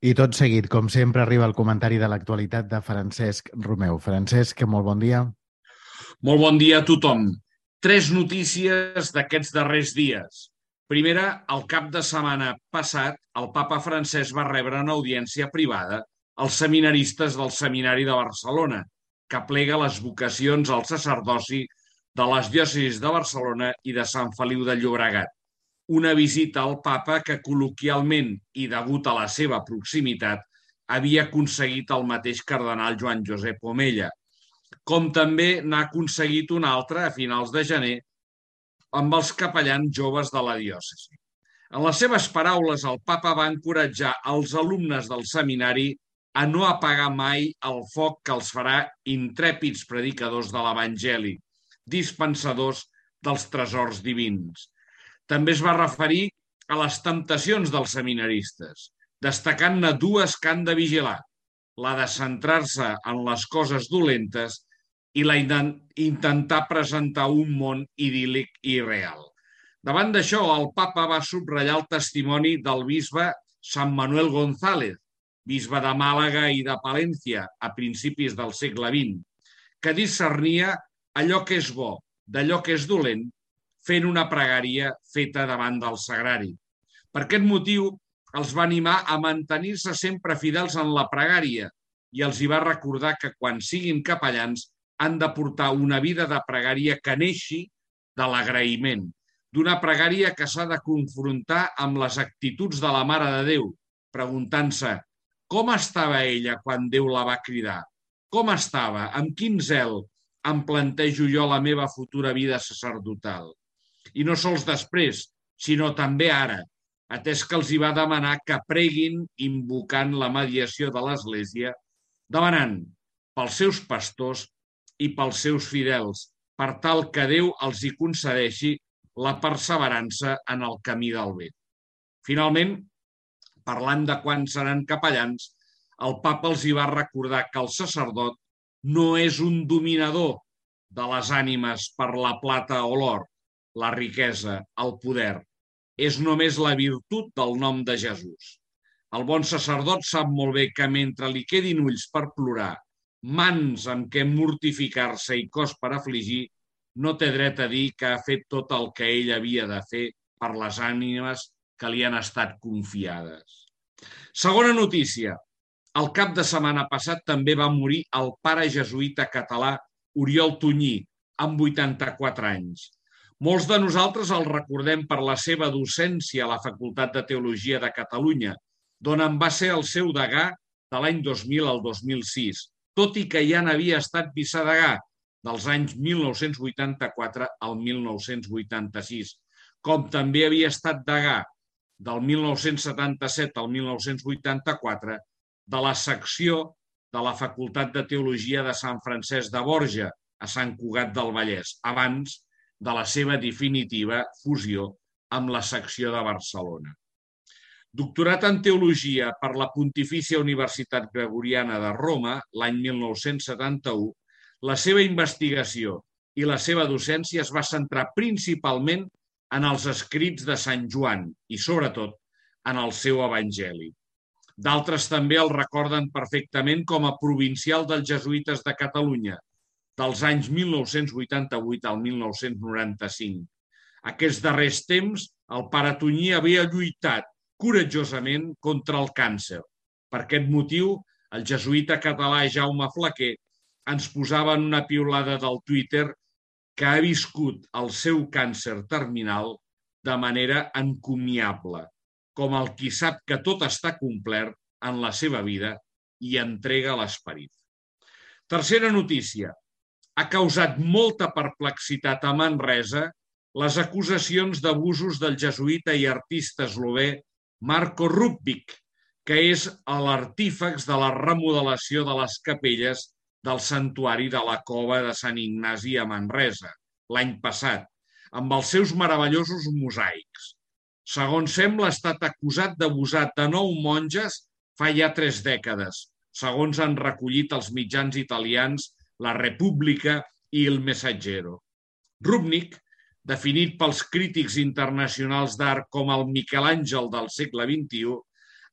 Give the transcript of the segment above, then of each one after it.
I tot seguit, com sempre, arriba el comentari de l'actualitat de Francesc Romeu. Francesc, molt bon dia. Molt bon dia a tothom. Tres notícies d'aquests darrers dies. Primera, el cap de setmana passat, el papa Francesc va rebre una audiència privada als seminaristes del Seminari de Barcelona, que aplega les vocacions al sacerdoci de les diòcesis de Barcelona i de Sant Feliu de Llobregat. Una visita al papa que col·loquialment i degut a la seva proximitat havia aconseguit el mateix cardenal Joan Josep Omella, com també n'ha aconseguit una altra a finals de gener amb els capellans joves de la diòcesi. En les seves paraules, el papa va encoratjar els alumnes del seminari a no apagar mai el foc que els farà intrèpids predicadors de l'Evangeli, dispensadors dels tresors divins. També es va referir a les temptacions dels seminaristes, destacant-ne dues que han de vigilar: la de centrar-se en les coses dolentes i la intentar presentar un món idíl·lic i real. Davant d'això, el papa va subratllar el testimoni del bisbe Sant Manuel González, bisbe de Màlaga i de Palència a principis del segle XX, que discernia allò que és bo d'allò que és dolent fent una pregària feta davant del sagrari. Per aquest motiu, els va animar a mantenir-se sempre fidels en la pregària i els hi va recordar que quan siguin capellans han de portar una vida de pregària que neixi de l'agraïment, d'una pregària que s'ha de confrontar amb les actituds de la Mare de Déu, preguntant-se com estava ella quan Déu la va cridar, com estava, amb quin zel em plantejo jo la meva futura vida sacerdotal. I no sols després, sinó també ara, atès que els hi va demanar que preguin invocant la mediació de l'Església, demanant pels seus pastors i pels seus fidels, per tal que Déu els hi concedeixi la perseverança en el camí del bé. Finalment, parlant de quan seran capellans, el papa els hi va recordar que el sacerdot no és un dominador de les ànimes per la plata o l'or, la riquesa, el poder. És només la virtut del nom de Jesús. El bon sacerdot sap molt bé que mentre li quedin ulls per plorar, mans amb què mortificar-se i cos per afligir, no té dret a dir que ha fet tot el que ell havia de fer per les ànimes que li han estat confiades. Segona notícia. El cap de setmana passat també va morir el pare jesuïta català Oriol Tunyí, amb 84 anys. Molts de nosaltres el recordem per la seva docència a la Facultat de Teologia de Catalunya, d'on en va ser el seu degà de l'any 2000 al 2006, tot i que ja n'havia estat vicedegà dels anys 1984 al 1986, com també havia estat degà del 1977 al 1984 de la secció de la Facultat de Teologia de Sant Francesc de Borja, a Sant Cugat del Vallès, abans de la seva definitiva fusió amb la secció de Barcelona. Doctorat en Teologia per la Pontifícia Universitat Gregoriana de Roma l'any 1971, la seva investigació i la seva docència es va centrar principalment en els escrits de Sant Joan i, sobretot, en el seu Evangeli. D'altres també el recorden perfectament com a provincial dels jesuïtes de Catalunya, dels anys 1988 al 1995. Aquests darrers temps, el pare Tunyí havia lluitat coratjosament contra el càncer. Per aquest motiu, el jesuïta català Jaume Flaquer ens posava en una piulada del Twitter que ha viscut el seu càncer terminal de manera encomiable, com el qui sap que tot està complert en la seva vida i entrega l'esperit. Tercera notícia. Ha causat molta perplexitat a Manresa les acusacions d'abusos del jesuïta i artista eslové Marko Rupnik, que és l'artífex de la remodelació de les capelles del santuari de la Cova de Sant Ignasi a Manresa, l'any passat, amb els seus meravellosos mosaics. Segons sembla, ha estat acusat d'abusar de 9 monges fa ja 3 dècades, segons han recollit els mitjans italians La Repubblica i El Messaggero. Rupnik, definit pels crítics internacionals d'art com el Miquel Àngel del segle XXI,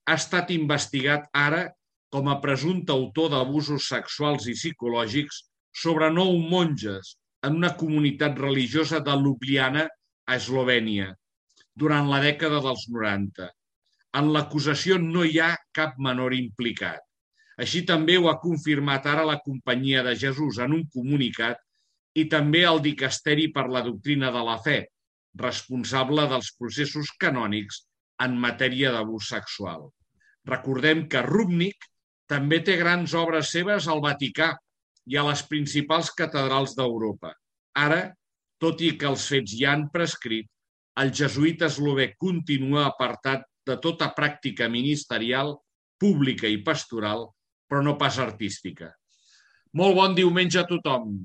ha estat investigat ara com a presumpte autor d'abusos sexuals i psicològics sobre 9 monges en una comunitat religiosa de Ljubljana, a Eslovènia, durant la dècada dels 90. En l'acusació no hi ha cap menor implicat. Així també ho ha confirmat ara la Companyia de Jesús en un comunicat i també el Dicasteri per la Doctrina de la Fe, responsable dels processos canònics en matèria d'abús sexual. Recordem que Rupnik també té grans obres seves al Vaticà i a les principals catedrals d'Europa. Ara, tot i que els fets ja han prescrit, el jesuïta eslovè continua apartat de tota pràctica ministerial, pública i pastoral, però no pas artística. Molt bon diumenge a tothom.